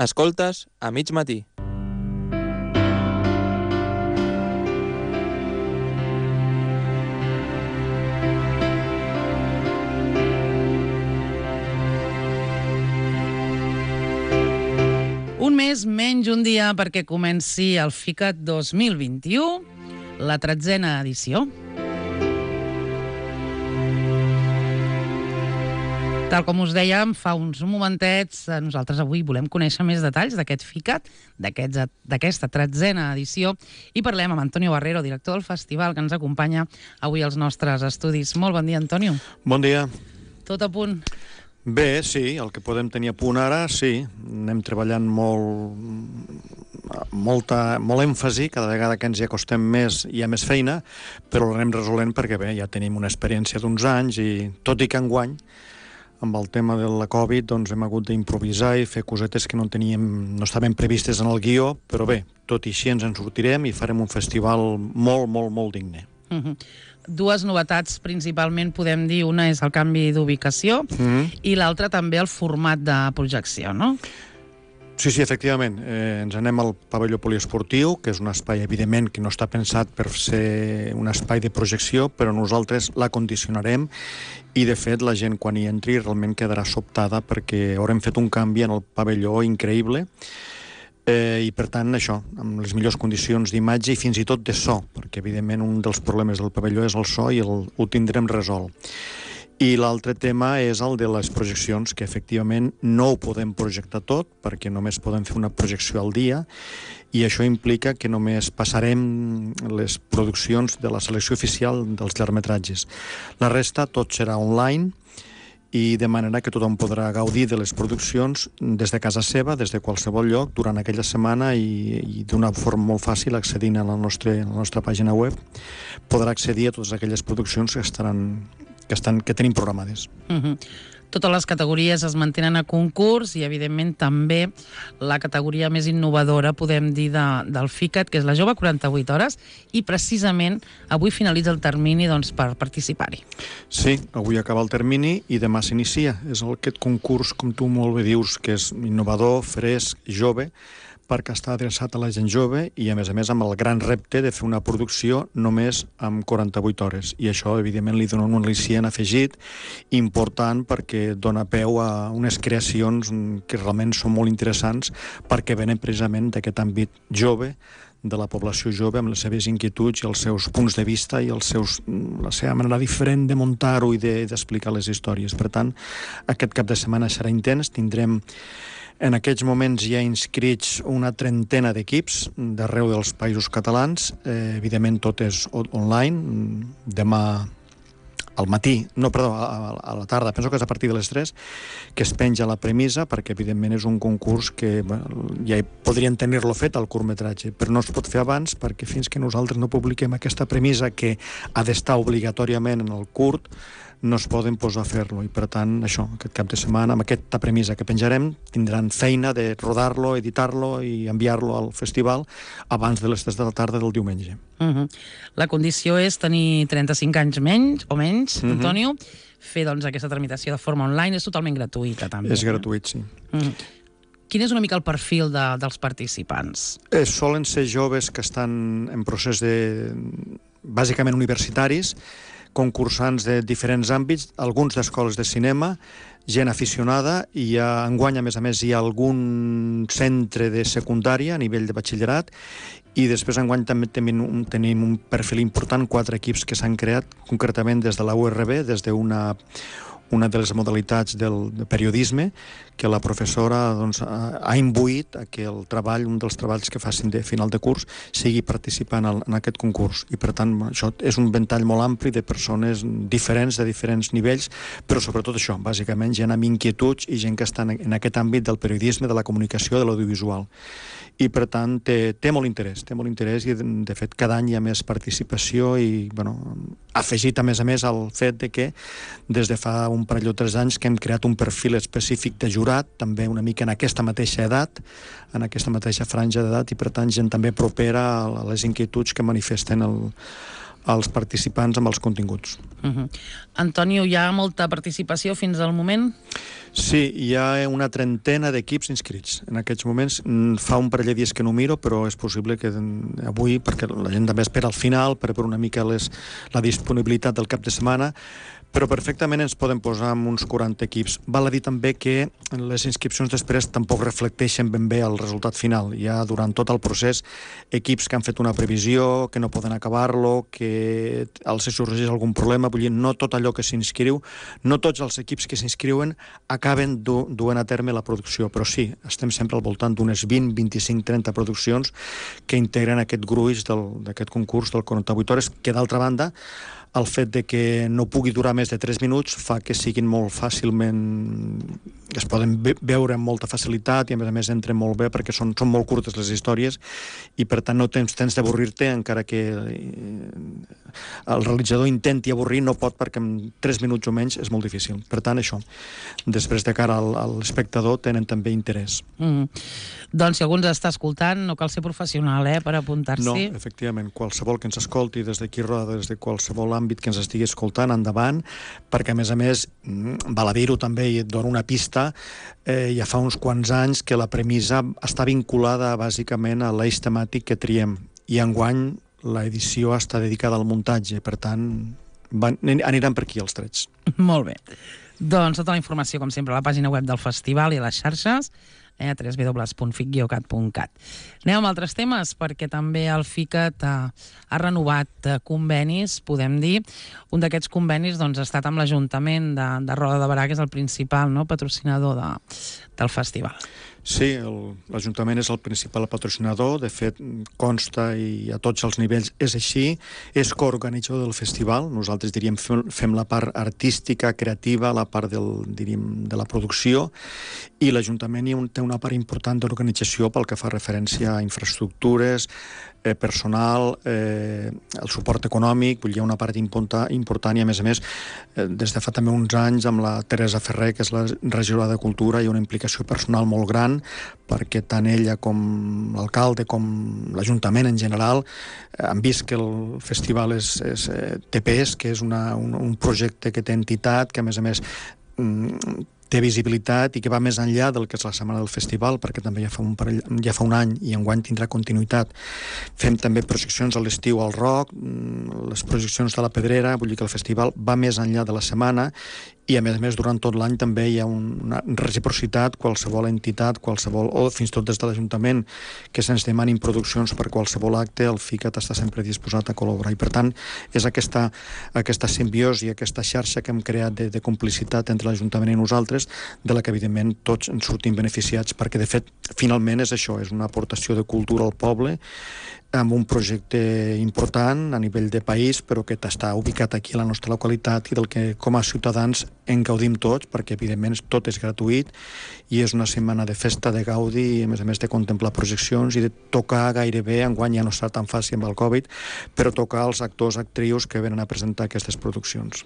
Escoltes a mig matí. Un mes menys un dia perquè comenci el FICAT 2021, la 13a edició. Tal com us dèiem fa uns momentets, nosaltres avui volem conèixer més detalls d'aquest FICAT, d'aquesta 13a edició, i parlem amb Antonio Barrero, director del festival, que ens acompanya avui als nostres estudis. Molt bon dia, Antonio. Bon dia. Tot a punt? Bé, sí, el que podem tenir a punt ara, sí. Anem treballant molt èmfasi, cada vegada que ens hi acostem més hi ha més feina, però l'anem resolent perquè bé, ja tenim una experiència d'uns anys i tot i que enguany, amb el tema de la Covid, doncs hem hagut d'improvisar i fer cosetes que no estaven previstes en el guió, però bé, tot i així ens en sortirem i farem un festival molt digne. Dues novetats principalment, podem dir, una és el canvi d'ubicació i l'altra també el format de projecció, no? Sí, efectivament. Ens anem al pavelló poliesportiu, que és un espai, evidentment, que no està pensat per ser un espai de projecció, però nosaltres l'acondicionarem i, de fet, la gent, quan hi entri, realment quedarà sobtada perquè haurem fet un canvi en el pavelló increïble i, per tant, això, amb les millors condicions d'imatge i fins i tot de so, perquè, evidentment, un dels problemes del pavelló és el so i ho tindrem resolt. I l'altre tema és el de les projeccions, que efectivament no ho podem projectar tot, perquè només podem fer una projecció al dia, i això implica que només passarem les produccions de la selecció oficial dels llargmetratges. La resta tot serà online, i de manera que tothom podrà gaudir de les produccions des de casa seva, des de qualsevol lloc, durant aquella setmana i d'una forma molt fàcil, accedint a la nostra pàgina web, podrà accedir a totes aquelles produccions que tenim programades. Totes les categories es mantenen a concurs i, evidentment, també la categoria més innovadora, podem dir, del FICAT, que és la Jove 48 hores, i precisament avui finalitza el termini per participar-hi. Sí, avui acaba el termini i demà s'inicia. És aquest concurs, com tu molt bé dius, que és innovador, fresc, jove, perquè està adreçat a la gent jove i, a més, amb el gran repte de fer una producció només amb 48 hores. I això, evidentment, li dona un al·licient afegit important perquè dona peu a unes creacions que realment són molt interessants perquè venen precisament d'aquest àmbit jove, de la població jove, amb les seves inquietuds i els seus punts de vista i la seva manera diferent de muntar-ho i d'explicar les històries. Per tant, aquest cap de setmana serà intens, tindrem en aquests moments hi ha inscrits una 30 d'equips d'arreu dels països catalans. Evidentment tot és online. Demà al matí, a la tarda, penso que és a partir de les 3, que es penja la premissa, perquè evidentment és un concurs que ja podrien tenir-lo fet al curtmetratge, però no es pot fer abans perquè fins que nosaltres no publiquem aquesta premissa que ha d'estar obligatòriament en el curt, no es poden posar a fer-lo, i per tant, això, aquest cap de setmana, amb aquesta premissa que penjarem, tindran feina de rodar-lo, editar-lo i enviar-lo al festival abans de les 3 de la tarda del diumenge. La condició és tenir 35 anys menys, Antonio, fer aquesta tramitació de forma online, és totalment gratuïta, també. És gratuït, sí. Quin és una mica el perfil dels participants? Solen ser joves que estan en procés bàsicament universitaris, concursants de diferents àmbits, alguns d'escoles de cinema, gent aficionada, i enguany, a més, hi ha algun centre de secundària a nivell de batxillerat, i després enguany també tenim un perfil important, 4 equips que s'han creat concretament des de la URB, des d'una de les modalitats del periodisme, que la professora ha imbuït que el treball, un dels treballs que facin de final de curs, sigui participant en aquest concurs. I, per tant, això és un ventall molt ampli de persones diferents, de diferents nivells, però sobretot això, bàsicament gent amb inquietuds i gent que està en aquest àmbit del periodisme, de la comunicació, de l'audiovisual. I, per tant, té molt interès i, de fet, cada any hi ha més participació i, afegit, a més, al fet de que des de fa un parell o 3 anys que hem creat un perfil específic de jurat, també una mica en aquesta mateixa edat, en aquesta mateixa franja d'edat, i, per tant, gent també propera a les inquietuds que manifesten als participants amb els continguts. Antonio, hi ha molta participació fins al moment? Sí, hi ha una trentena d'equips inscrits. En aquests moments fa un parell de dies que no miro, però és possible que avui, perquè la gent també espera al final per veure una mica la disponibilitat del cap de setmana, però perfectament ens poden posar amb uns 40 equips. Val a dir també que les inscripcions després tampoc reflecteixen ben bé el resultat final. Hi ha durant tot el procés equips que han fet una previsió, que no poden acabar-lo, que els sorgeix algun problema, vull dir, no tot allò que s'inscriu, no tots els equips que s'inscriuen acaben duent a terme la producció, però sí, estem sempre al voltant d'unes 20, 25, 30 produccions que integren aquest gruix d'aquest concurs del 48 hores, que d'altra banda el fet de que no pugui durar més de 3 minuts fa que siguin molt fàcilment... es poden veure amb molta facilitat i a més entren molt bé perquè són molt curtes les històries i per tant no tens temps d'avorrir-te, encara que el realitzador intenti avorrir, no pot, perquè en 3 minuts o menys és molt difícil. Per tant, això, després de cara a l'espectador tenen també interès. Doncs si algú ens està escoltant, no cal ser professional per apuntar-s'hi. No, efectivament, qualsevol que ens escolti des d'aquí Roda, des de qualsevol àmbit que ens estigui escoltant, endavant, perquè a més, val a dir-ho també, i et dono una pista, ja fa uns quants anys que la premissa està vinculada bàsicament a l'eix temàtic que triem, i enguany l'edició està dedicada al muntatge, per tant aniran per aquí els trets. Molt bé. Doncs tota la informació, com sempre, a la pàgina web del festival i a les xarxes, a www.fic-cat.cat. Anem amb altres temes, perquè també el FICAT ha renovat convenis, podem dir. Un d'aquests convenis ha estat amb l'Ajuntament de Roda de Berà, que és el principal patrocinador del festival. Sí, l'Ajuntament és el principal patrocinador, de fet consta i a tots els nivells és així, és coorganitzador del festival, nosaltres diríem fem la part artística, creativa, la part de la producció, i l'Ajuntament té una part important d'organització pel que fa referència a infraestructures, personal, el suport econòmic, vull dir, una part important i a més des de fa també uns anys amb la Teresa Ferrer, que és la regidora de Cultura, hi ha una implicació personal molt gran perquè tant ella com l'alcalde com l'Ajuntament en general han vist que el festival té pes, que és un projecte que té entitat, que a més té visibilitat i que va més enllà del que és la setmana del festival, perquè també ja fa un any i enguany tindrà continuïtat. Fem també projeccions a l'estiu al Roc, les projeccions de la Pedrera, vull dir que el festival va més enllà de la setmana i a més durant tot l'any també hi ha una reciprocitat, qualsevol entitat, o fins i tot des de l'Ajuntament que se'ns demanin produccions per qualsevol acte, el FICAT està sempre disposat a col·laborar i per tant és aquesta simbiosi, aquesta xarxa que hem creat de complicitat entre l'Ajuntament i nosaltres, de la que evidentment tots en sortim beneficiats, perquè de fet finalment és això, és una aportació de cultura al poble amb un projecte important a nivell de país, però que està ubicat aquí a la nostra localitat i del que com a ciutadans en gaudim tots, perquè evidentment tot és gratuït i és una setmana de festa, de gaudi i a més de contemplar projeccions i de tocar gairebé, enguany ja no està tan fàcil amb el Covid, però tocar els actors, actrius que venen a presentar aquestes produccions.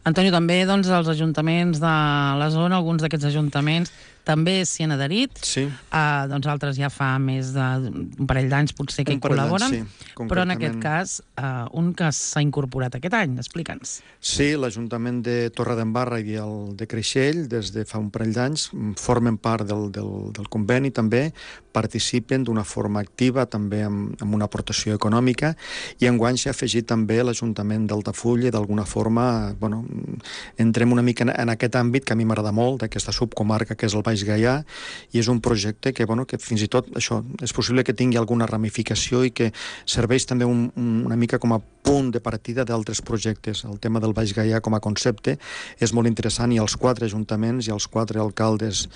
Antonio, també els ajuntaments de la zona, alguns d'aquests ajuntaments també s'hi han adherit. Sí. Altres ja fa més d'un parell d'anys potser que hi col·laboren, però en aquest cas un que s'ha incorporat aquest any, explica'ns. Sí, l'Ajuntament de Torredembarra i el de Creixell des de fa un parell d'anys formen part del conveni també, participen d'una forma activa també amb una aportació econòmica i enguany s'ha afegit també l'Ajuntament d'Altafulla i d'alguna forma entrem una mica en aquest àmbit que a mi m'agrada molt, d'aquesta subcomarca que és el Baix Gaià, i és un projecte que fins i tot això, és possible que tingui alguna ramificació i que serveix també una mica com a punt de partida d'altres projectes. El tema del Baix Gaià com a concepte és molt interessant i els 4 ajuntaments i els 4 alcaldes,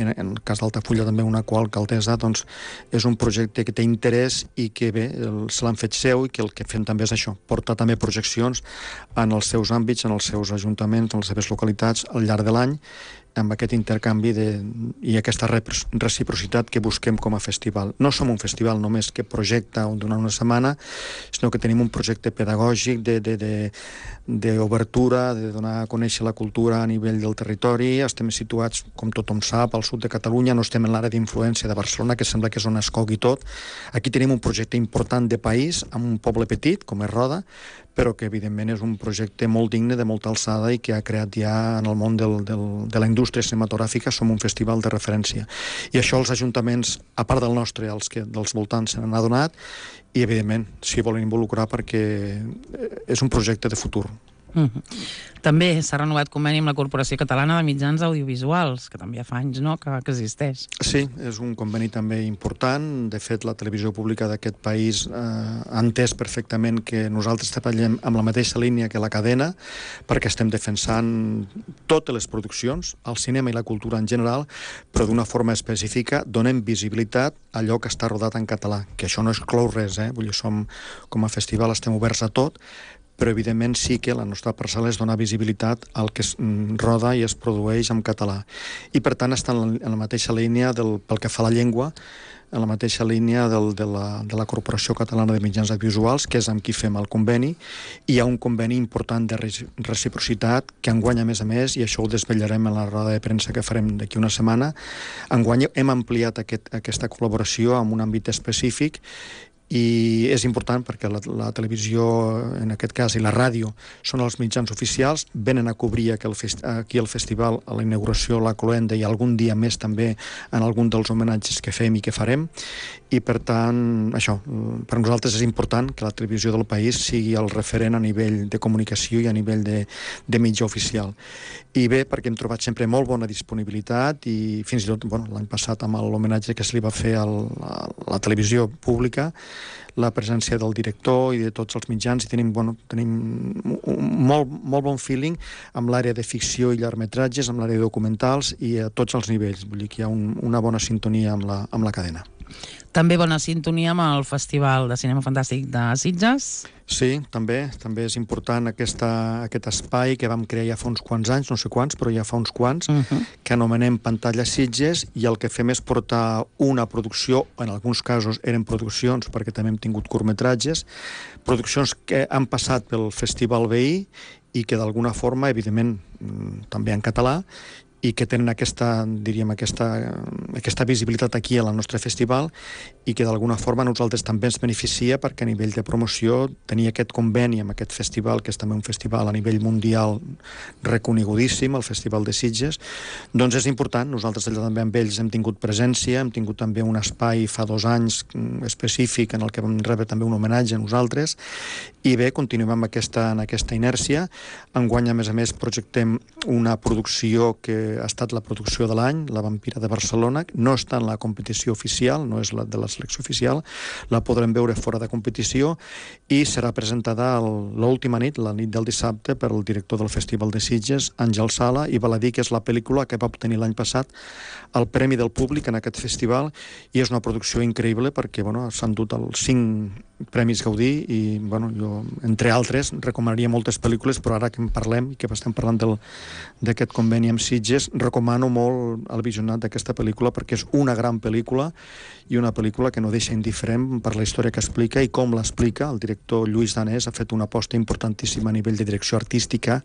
en el cas d'Altafulla també una coalcaldessa, doncs és un projecte que té interès i que bé, se l'han fet seu i que el que fem també és això, portar també projeccions en els seus àmbits, en els seus ajuntaments, en les seves localitats al llarg de l'any amb aquest intercanvi i aquesta reciprocitat que busquem com a festival. No som un festival només que projecta durant una setmana, sinó que tenim un projecte pedagògic d'obertura, de donar a conèixer la cultura a nivell del territori. Estem situats, com tothom sap, al sud de Catalunya, no estem en l'àrea d'influència de Barcelona, que sembla que és on es cogui tot. Aquí tenim un projecte important de país, amb un poble petit, com és Roda, però que evidentment és un projecte molt digne, de molta alçada, i que ha creat ja en el món de la indústria cinematogràfica, som un festival de referència. I això els ajuntaments, a part del nostre, els que dels voltants se n'han adonat, i evidentment s'hi volen involucrar perquè és un projecte de futur. També s'ha renovat conveni amb la Corporació Catalana de Mitjans Audiovisuals, que també ja fa anys, no?, que existeix. Sí, és un conveni també important. De fet, la televisió pública d'aquest país ha entès perfectament que nosaltres treballem amb la mateixa línia que la cadena, perquè estem defensant totes les produccions, el cinema i la cultura en general, però d'una forma específica donem visibilitat a allò que està rodat en català, que això no exclou res, Vull dir, com a festival estem oberts a tot, però evidentment sí que la nostra parcel·la és donar visibilitat al que es roda i es produeix en català. I per tant està en la mateixa línia pel que fa a la llengua, en la mateixa línia de la Corporació Catalana de Mitjans Audiovisuals, que és amb qui fem el conveni. Hi ha un conveni important de reciprocitat que enguany, a més, i això ho desvetllarem en la roda de premsa que farem d'aquí una setmana, enguany hem ampliat aquesta col·laboració en un àmbit específic, i és important perquè la televisió, en aquest cas, i la ràdio són els mitjans oficials, venen a cobrir aquí el festival, a la inauguració, la cloenda, i algun dia més també en algun dels homenatges que fem i que farem, i per tant, això, per nosaltres és important que la televisió del país sigui el referent a nivell de comunicació i a nivell de mitjà oficial. I bé, perquè hem trobat sempre molt bona disponibilitat, i fins i tot l'any passat amb l'homenatge que se li va fer a la televisió pública, la presència del director i de tots els mitjans, i tenim molt bon feeling amb l'àrea de ficció i llargmetratges, amb l'àrea de documentals i a tots els nivells. Vull dir que hi ha una bona sintonia amb la cadena. També bona sintonia amb el Festival de Cinema Fantàstic de Sitges. Sí, també és important aquest espai que vam crear ja fa uns quants anys, no sé quants, però ja fa uns quants, que anomenem Pantalla Sitges, i el que fem és portar una producció, en alguns casos eren produccions, perquè també hem tingut curtmetratges, produccions que han passat pel Festival veí i que d'alguna forma, evidentment, també en català, i que tenen aquesta visibilitat aquí al nostre festival, i que d'alguna forma a nosaltres també ens beneficia, perquè a nivell de promoció tenir aquest conveni amb aquest festival, que és també un festival a nivell mundial reconegudíssim, el Festival de Sitges, doncs és important. Nosaltres allà també amb ells hem tingut presència, hem tingut també un espai fa 2 anys específic en el que vam rebre també un homenatge a nosaltres, i bé, continuem amb aquesta inèrcia. Enguany, a més, projectem una producció que ha estat la producció de l'any, La Vampira de Barcelona. No està en la competició oficial, no és la de la selecció oficial, la podrem veure fora de competició, i serà presentada l'última nit, la nit del dissabte, per el director del Festival de Sitges, Àngel Sala, i val a dir que és la pel·lícula que va obtenir l'any passat el Premi del Públic en aquest festival, i és una producció increïble perquè s'han dut els 5 Premis Gaudí, i jo, entre altres, recomanaria moltes pel·lícules, però ara que en parlem i que estem parlant d'aquest conveni amb Sitges, recomano molt el visionat d'aquesta pel·lícula, perquè és una gran pel·lícula, i una pel·lícula que no deixa indiferent per la història que explica i com l'explica. El director Lluís Danés ha fet una aposta importantíssima a nivell de direcció artística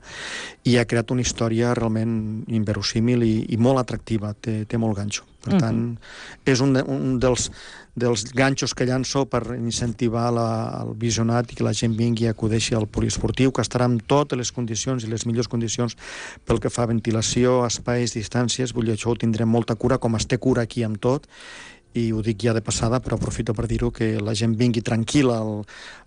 i ha creat una història realment inverosímil i molt atractiva, té molt ganxo. Per tant, és un dels ganxos que llanço per incentivar el visionat i que la gent vingui i acudeixi al poliesportiu, que estarà amb totes les condicions i les millors condicions pel que fa a ventilació, espais, distàncies. Vull dir, això ho tindrem molta cura, com es té cura aquí amb tot, i ho dic ja de passada, però aprofito per dir-ho, que la gent vingui tranquil·la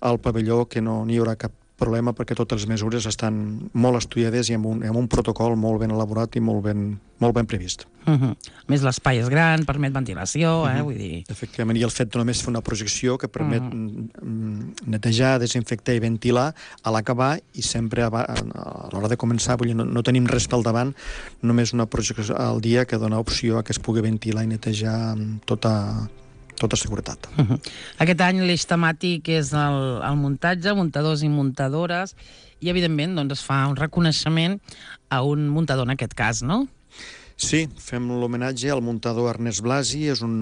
al pavelló, que no hi haurà cap problema, perquè totes les mesures estan molt estudiades i amb un protocol molt ben elaborat i molt ben previst. A més, l'espai és gran, permet ventilació, vull dir... Efectivament, i el fet de només fer una projecció que permet netejar, desinfectar i ventilar a l'acabar, i sempre a l'hora de començar, vull dir, no tenim res pel davant, només una projecció al dia que dona opció a que es pugui ventilar i netejar amb tota seguretat. Aquest any l'eix temàtic és el muntatge, muntadors i muntadores, i evidentment es fa un reconeixement a un muntador en aquest cas, no? Sí, fem l'homenatge al muntador Ernest Blasi, és un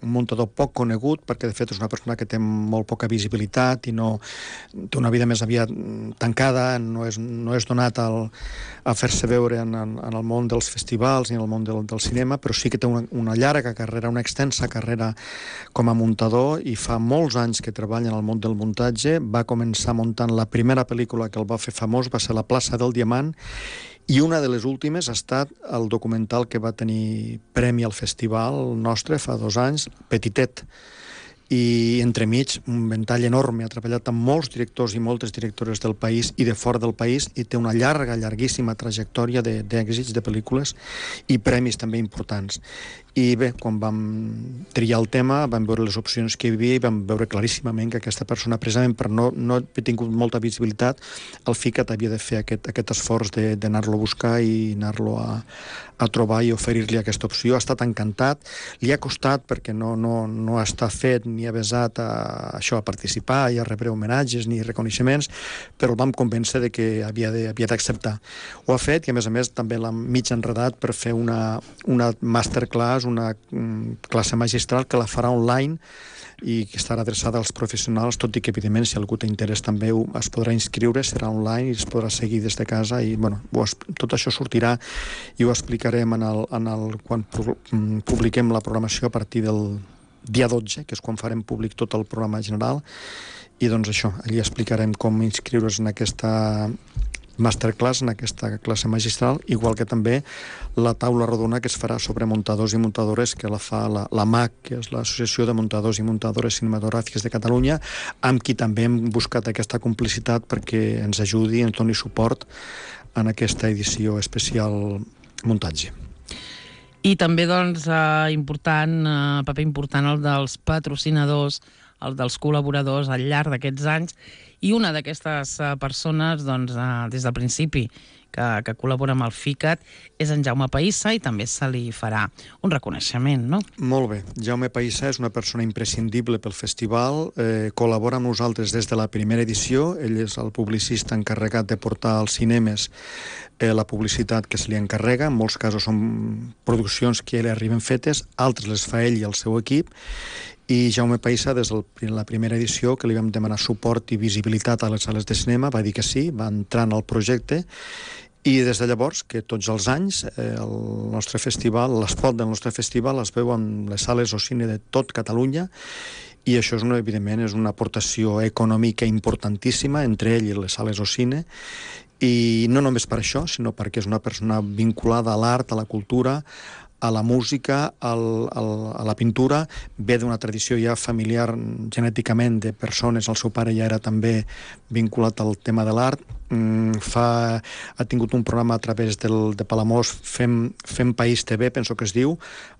muntador poc conegut, perquè de fet és una persona que té molt poca visibilitat i té una vida més aviat tancada, no és donat a fer-se veure en el món dels festivals ni en el món del cinema, però sí que té una llarga carrera, una extensa carrera com a muntador, i fa molts anys que treballa en el món del muntatge. Va començar muntant la primera pel·lícula que el va fer famós, va ser La plaça del Diamant, i una de les últimes ha estat el documental que va tenir premi al festival nostre fa 2 anys, Petitet. I entremig un ventall enorme, ha treballat amb molts directors i moltes directores del país i de fora del país, i té una llarguíssima trajectòria d'èxits de pel·lícules i premis també importants. I bé, quan vam triar el tema, vam veure les opcions que hi havia i vam veure claríssimament que aquesta persona, precisament per no haver tingut molta visibilitat, el FICAT havia de fer aquest esforç d'anar-lo a buscar i anar-lo a trobar i oferir-li aquesta opció. Ha estat encantat, li ha costat perquè no està fet ni avesat a participar i a rebre homenatges ni reconeixements, però el vam convèncer de que havia d'acceptar. Ho ha fet, i a més també l'ha mig enredat per fer una masterclass, una classe magistral que la farà online i que estarà adreçada als professionals, tot i que evidentment si algú té interès també es podrà inscriure, serà online i es podrà seguir des de casa, i bueno, tot això sortirà i ho explicarem quan publiquem la programació a partir del dia 12, que és quan farem públic tot el programa general, i doncs això, allí explicarem com inscriure's en aquesta masterclass, en aquesta classe magistral, igual que també la taula rodona que es farà sobre muntadors i muntadores, que la fa la MAC, que és l'Associació de Muntadors i Muntadores Cinematogràfiques de Catalunya, amb qui també hem buscat aquesta complicitat perquè ens ajudi, ens doni suport en aquesta edició especial muntatge. I també, doncs, paper important el dels patrocinadors, el dels col·laboradors al llarg d'aquests anys, i una d'aquestes persones, doncs, des del principi, que col·labora amb el FICAT, és en Jaume Païssa, i també se li farà un reconeixement, no? Molt bé. Jaume Païssa és una persona imprescindible pel festival, col·labora amb nosaltres des de la primera edició, ell és el publicista encarregat de portar als cinemes la publicitat que se li encarrega, en molts casos són produccions que ja li arriben fetes, altres les fa ell i el seu equip, i Jaume Païssa, des de la primera edició, que li vam demanar suport i visibilitat a les sales de cinema, va dir que sí, va entrar en el projecte, i des de llavors, que tots els anys, el nostre festival, l'espot del nostre festival es veu en les sales o cine de tot Catalunya, i això evidentment és una aportació econòmica importantíssima entre ell i les sales o cine, i no només per això, sinó perquè és una persona vinculada a l'art, a la cultura, a la música, a la pintura, ve d'una tradició ja familiar genèticament de persones, el seu pare ja era també vinculat al tema de l'art, ha tingut un programa a través de Palamós, Fem País TV, penso que es diu,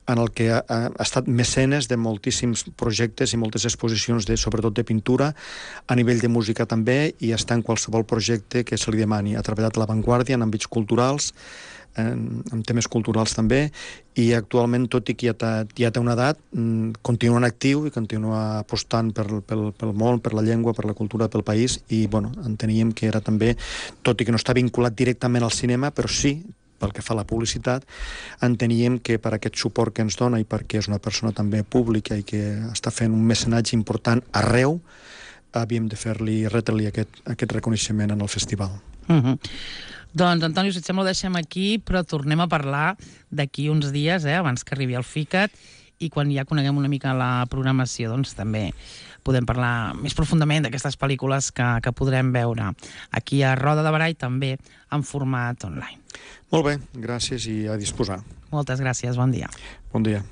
en el que ha estat mecenes de moltíssims projectes i moltes exposicions, sobretot de pintura, a nivell de música també, i està en qualsevol projecte que se li demani. Ha treballat a l'avantguàrdia en àmbits culturals, en temes culturals també, i actualment, tot i que ja té una edat, continua en actiu i continua apostant pel món, per la llengua, per la cultura, pel país, i enteníem que era també, tot i que no està vinculat directament al cinema, però sí, pel que fa a la publicitat, enteníem que per aquest suport que ens dona i perquè és una persona també pública i que està fent un mecenatge important arreu, havíem de retre-li aquest reconeixement en el festival. Doncs, Antonio, si et sembla, ho deixem aquí, però tornem a parlar d'aquí uns dies, abans que arribi el FICAT, i quan ja coneguem una mica la programació, doncs també podem parlar més profundament d'aquestes pel·lícules que podrem veure aquí a Roda de Barà i també en format online. Molt bé, gràcies i a disposar. Moltes gràcies, bon dia. Bon dia.